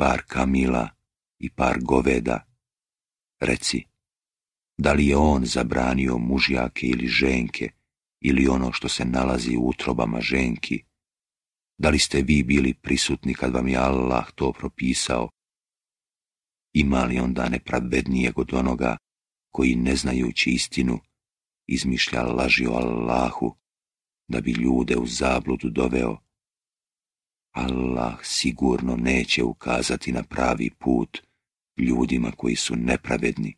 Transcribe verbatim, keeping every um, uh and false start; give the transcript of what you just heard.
par kamila i par goveda. Reci, da li je on zabranio mužjake ili ženke, ili ono što se nalazi u utrobama ženki? Da li ste vi bili prisutni kad vam je Allah to propisao? Ima li onda nepravednijeg od onoga koji, ne znajući istinu, izmišlja laži o Allahu da bi ljude u zabludu doveo? Allah sigurno neće ukazati na pravi put ljudima koji su nepravedni.